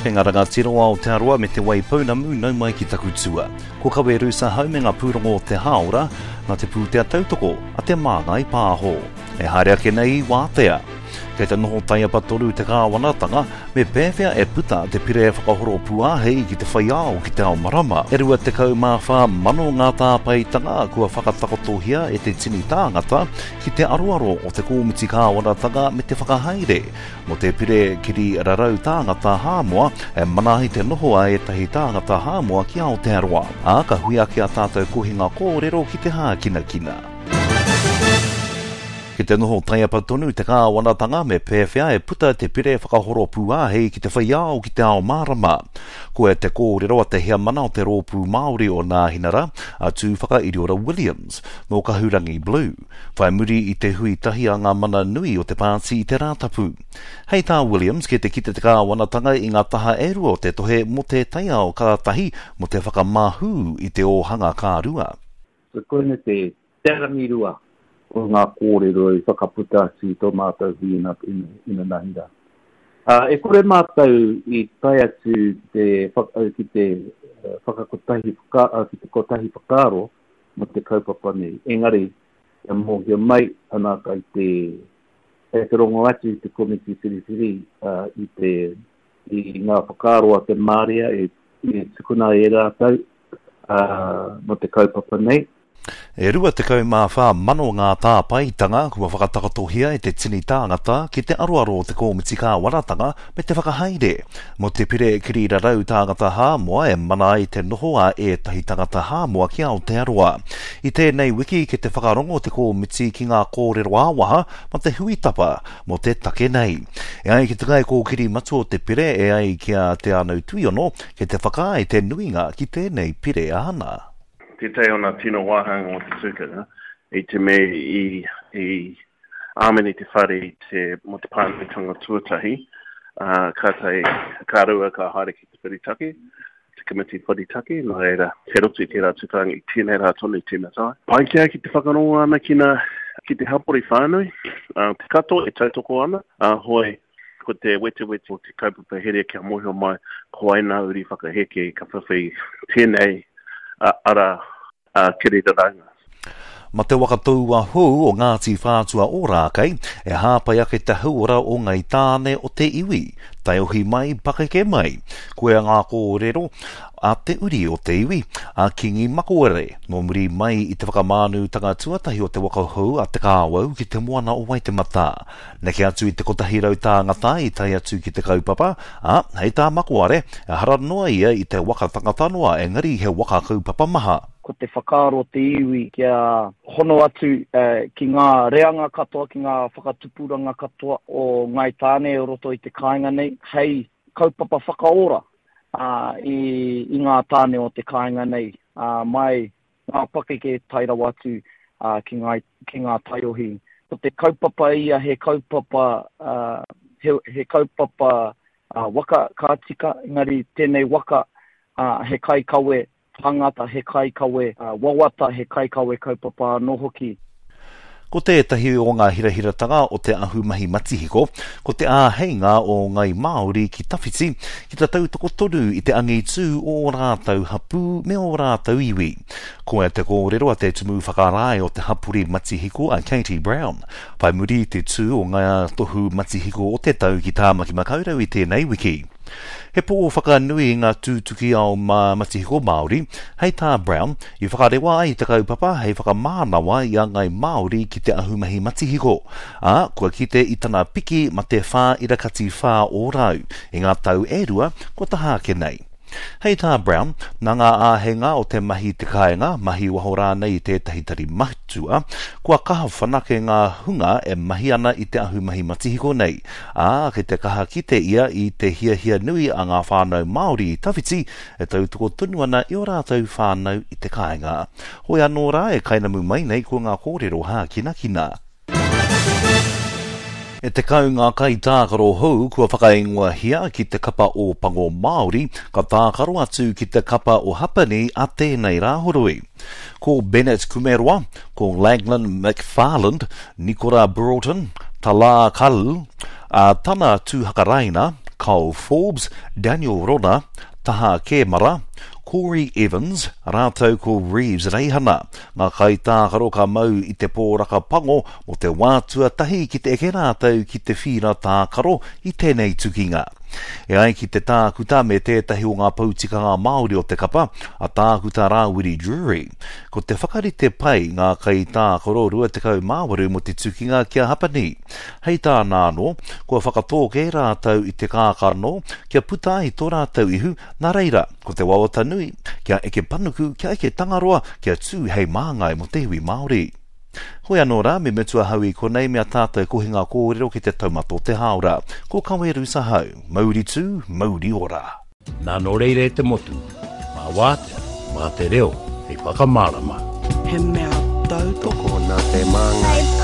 Kei ngā rangatira o Aotearoa me Te Waipounamu nau mai ki taku tua. Ko Kawe Rusa hau me ngā pūrongo o te hāora, nā te pūtea tautoko a Te Māngai Pāho. E haere ake nei i wātea. Kei te noho taiapa tonu te kāwanatanga, me pēwhea e puta te pire whakahoro pūāhei ki te whai ao ki te ao marama. E 24 mano ngā tāpaetanga kua whakatakotohia e te tini tāngata ki te aroaro o te kōmiti kāwanatanga me te whakahaere mō te pire kiri rarau tāngata Hāmoa e mana ai te noho a ētahi tāngata Hāmoa ki Aotearoa. Ā, ka hui ake a tātou kohinga kōrero ki te hākinakina. Ki te noho taiapa tonu te kāwanatanga me pēwhea e puta te pire whakahoro pūāhei ki te whai ao ki te ao mārama. Koia te kōrero a te heamana o te Rōpū Māori o Nāhinara, a Tūwhakairiora Williams, nō Kahurangi Blue, whai muri i te hui tahi a ngā mana nui o te pāti i te Rātapu. Hei tā Williams, kei te kite te kāwanatanga i ngā taha e rua o te tohe mō te taiao ka tahi, mō te whakamahū i te ōhanga ka rua. So koinei te Te rangirua o ngā kōrero i whakaputa atu i tō mātou hui inanahi rā. E kore mātou i tae atu ki te, ki te whakakotahi, ki te kotahi whakaaro mō te kaupapa nei. Engari, kia mōhio mai, ana kai te, kei te rongo atu te komiti whiriwhiri i te, i ngā whakaaro a te māria e, e tukuna e rātou mō te kaupapa nei. E 24 mano ngā tāpaetanga kua whakatakatohia e te tini tāngata ki te aroaro o te Kōmiti Kāwanatanga me te Whakahaere mō te Pire Kirirarau Tāngata Hāmoa e mana ai te noho a ētahi tangata Hāmoa ki Aotearoa. I tēnei wiki ki te whakarongo te kōmiti ki ngā kōrero ā-waha ma te hui tapa mō te take nei. E ai ki te kaikōkiri matua o te pire e ai ki a Te Anau Tuiono, kei te whakaae te nuinga ki tēnei pire āna. Tētahi o ngā tino wāhanga o te tukanga i te mea i, i āmene te whare i te, mō te pānuitanga tuatahi, ā, kātahi, ka rua ka haere ki te whiritaki, te komiti whiritaki, nā reira, kei roto i tērā tukanga i tēnei rā tonu i tīmata ai. Pai ki au ki te whakarongo ana ki ngā, ki te hapori whānui, ā, te katoa e tautoko ana, ā, hoi, Ko te wetewete o te kaupapa here kia mōhio mai ko wai nā uri whakaheke ka whiwhi tēnei ara kiriraraunga. Ma te waka taua hou o Ngāti Whātua Ōrākei e hāpai ake te hauora o Ngai Tāne o te iwi, taiohi mai, pakeke mai. Koia ngā kōrero a te uri o te iwi, a Kingi Makoere, nō muri mai i te whakamānutanga tuatahi o te waka hou a Te Kāwau ki te moana o Waitematā. Neke atu i te 100 tāngata i tae atu ki te kaupapa, ā, hei tā Makoare, ehara noa ia i te waka tangata noa engari he waka kaupapa maha. Ko te whakaaro o te iwi kia hono atu ki ngā reanga katoa, ki ngā whakatupuranga katoa o Ngāi Tāne o roto i te kāinga nei, hei kaupapa whakaora i ngā tāne o te kāinga nei, mai ngā pakeke tae rawa atu ki ngā, ki ngā taiohi. Ko te kaupapa ia he kaupapa, he, he kaupapa waka ka tika, engari tēnei waka he kaikawe tāngata, he kaikawe wawata, he kaikawe kaupapa anō hoki. Ko tētahi o ngā hirahiratanga o te ahumahi matihiko, ko te āheinga o ngāi Māori ki tawhiti, ki te tautoko tonu i te angitū o ō rātou hapū me ō rātou iwi. Koia te kōrero a te Tumu Whakarae o te hapori matihiko a Katie Brown, whai muri i te tū o ngā tohu matihiko o te tau ki Tāmaki Makaurau i tēnei wiki. He pō whakanui i ngā tūtuki ao matihiko Māori, hei tā Brown, i whakarewa ai te kaupapa hei whakamānawa i a ngāi Māori ki te ahumahi matihiko, ā, kua kite i tana piki ma te 4.4% i ngā tau e rua kua taha ake nei. Hei tā Brown, nā ngā āheinga o te mahi i te kāinga, mahi waho rānei i tētahi tari matua, kua kaha whanake ngā hunga e mahi ana i te ahumahi matihiko nei, ā, kei te kaha kite ia i te hiahia nui a ngā whānau Māori i tawhiti e tautoko tonu ana i ō rātou whānau i te kāinga. Hoi anō rā e kainamu mai nei ko ngā kōrero hākinakina. E 10 ngā kaitākaro hou kua whakaingoahia ki te kapa Ōpango Māori ka tākaro atu ki te kapa o Hapani a tēnei Rāhoroi. Ko Bennett Kumeroa, ko Laglan McFarland, Nikora Broughton, Talaa Khalil, a Tana Tuhakaraina, Kyle Forbes, Daniel Rona, Taha Kemara, Corey Evans, rātou ko Reeves Reihana, ngā kaitākaro ka mau i te pōraka pango mō te wā tuatahi ki te eke rātou ki te whīra tākaro i tēnei tukinga. E ai ki te tākuta me tētahi o ngā pou tikanga Māori o te kapa, a Tākuta Rāwiri Drury, ko te whakarite pai ngā kaitākaro 28 mō te tukinga ki a Hapani. Hei tāna anō, kua whakatō kē rātou i te kākano kia puta ai tō rātou ihu, nā reira, ko te wawata nui, kia eke panuku, kia eke Tangaroa, kia tū hei māngai mō te iwi Māori. Hoi anō rā, me mutu ahau i konei me a tātou kohinga kōrero ki te taumata o te hāora. Ko Kawe Ahau. Mauri tū, mauri ora. Nā nō reira e te motu, mā wātea, mā te reo hei whakamārama. He mea tautoko nā te Māngai.